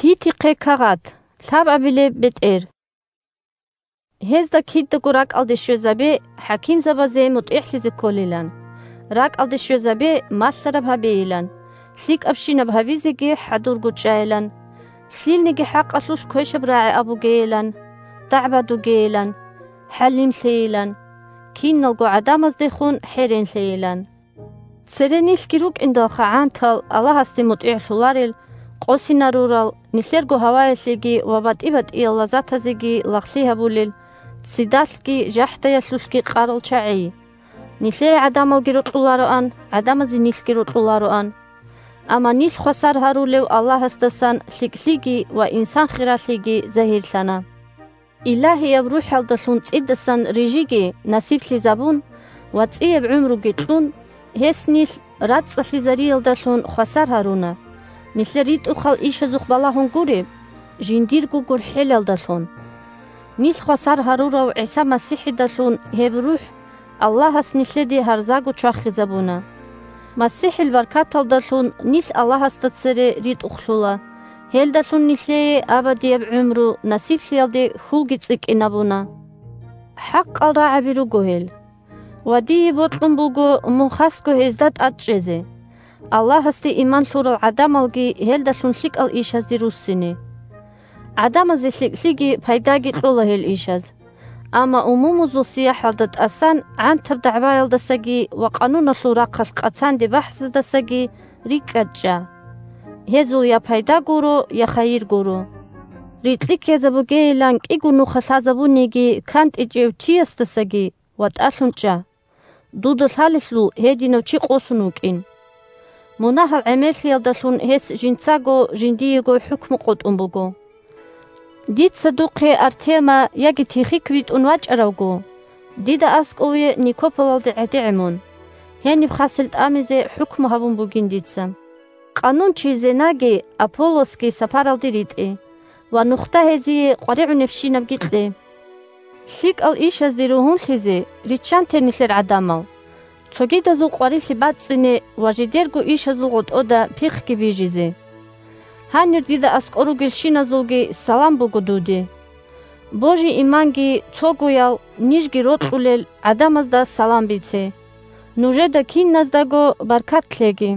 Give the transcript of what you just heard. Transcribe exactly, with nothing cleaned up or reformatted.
Титихъе кагъат, лъабабилеб бетӀер. Гьезда кидаго ракӀалде щвезабе, хӀакимзабазе мутӀигӀлъизе кколилан. РакӀалде щвезабе, малъараб гьабейилан, лъикӀабщинаб гьабизеги хӀадурго чӀайилан, лъилниги хӀакъалъулъ квешаб рагӀи абугейилан, дагӀба дугейилан, хӀалимлъейилан, киналго гӀадамаздехун хӀеренлъейилан. Цере нилъги рукӀиндалха гӀантал, Аллагьасде мутӀигӀлъуларел, къосинарурал, нилъерго гьаваялъеги ва батӀи-батӀиял лаззатазеги лагълъи гьабулел, ццидалъги жахӀдаялъулъги къарал чагӀи. Нилъее гӀадамалги рокьулароан, гӀадамазе нилъги рокьулароан. Амма нилъ хвасар гьарулев Аллагьасдасан лъикӀлъиги ва инсан хиралъиги загьирлъана. Илагьияб РухӀалдалъун цӀидасан рижиги насиблъизабун ва цӀияб гӀумруги кьун, гьес нилъ рацӀцӀалъизариялдалъун хвасар гьаруна, нилъер ритӀухъал ишазухъ балагьун гуреб, жиндирго гурхӀелалдалъун. Нилъ хвасар гьарурав ГӀиса МасихӀидалъун гьеб РухӀ Аллагьас нилъеде гьарзаго чвахизабуна. МасихӀил баркаталдалъун нилъ Аллагьасда цере ритӀухълъула, гьелдалъун нилъее абадияб гӀумру насиблъиялде хьулги цӀикӀкӀинабуна. ХӀакъал рагӀаби руго гьел. Ва дие бокьун буго мун хасго гьезда тӀад чӀезе, Аллагьасде иман лъурал гӀадамалги гьелдалъун лъикӀал ишазде руссине. ГӀадамазе лъикӀлъиги пайдаги кьола гьел ишаз. Амма умумузул сияхӀалда тӀасан гӀантаб дагӀбаялдасаги ва къануналъул рахъалъ къацанде бахӀсаздасаги рикӀкӀад чӀа. Гьезул я пайда гуро, я хайир гуро. Рикьи ккезабугейилан кӀиго нуха лъазабуниги кантӀичӀев чиясдасаги ватӀалъун чӀа. Дуда лъалелъул гьединав чи къосун вукӀин. Мунагьал гӀемерлъиялдалъун гьес жинцаго жиндиего хӀукму къотӀун буго. Дица духъе Артема яги Тихик витӀун вачӀаравго, дида аскӀове Никополалде гӀедегӀе мун, гьениб хасел тӀамизе хӀукму гьабун бугин дица. Къанунчи Зенаги Аполлосги сапаралде ритӀе ва нухда гьезие къваригӀунебщинабги кье. ЛъикӀал ишазде ругьунлъизе риччанте нилъер гӀадамал, цогидазул къварилъи бацӀцӀине ва жидерго ишазул гъотӀода пихъги бижизе. Гьанир дида аскӀор ругелщиназулги салам буго дуде. Божи-иманги цогоял, нижги рокьулел гӀадамазда салам бице. Нужеда киназдаго баркат лъеги.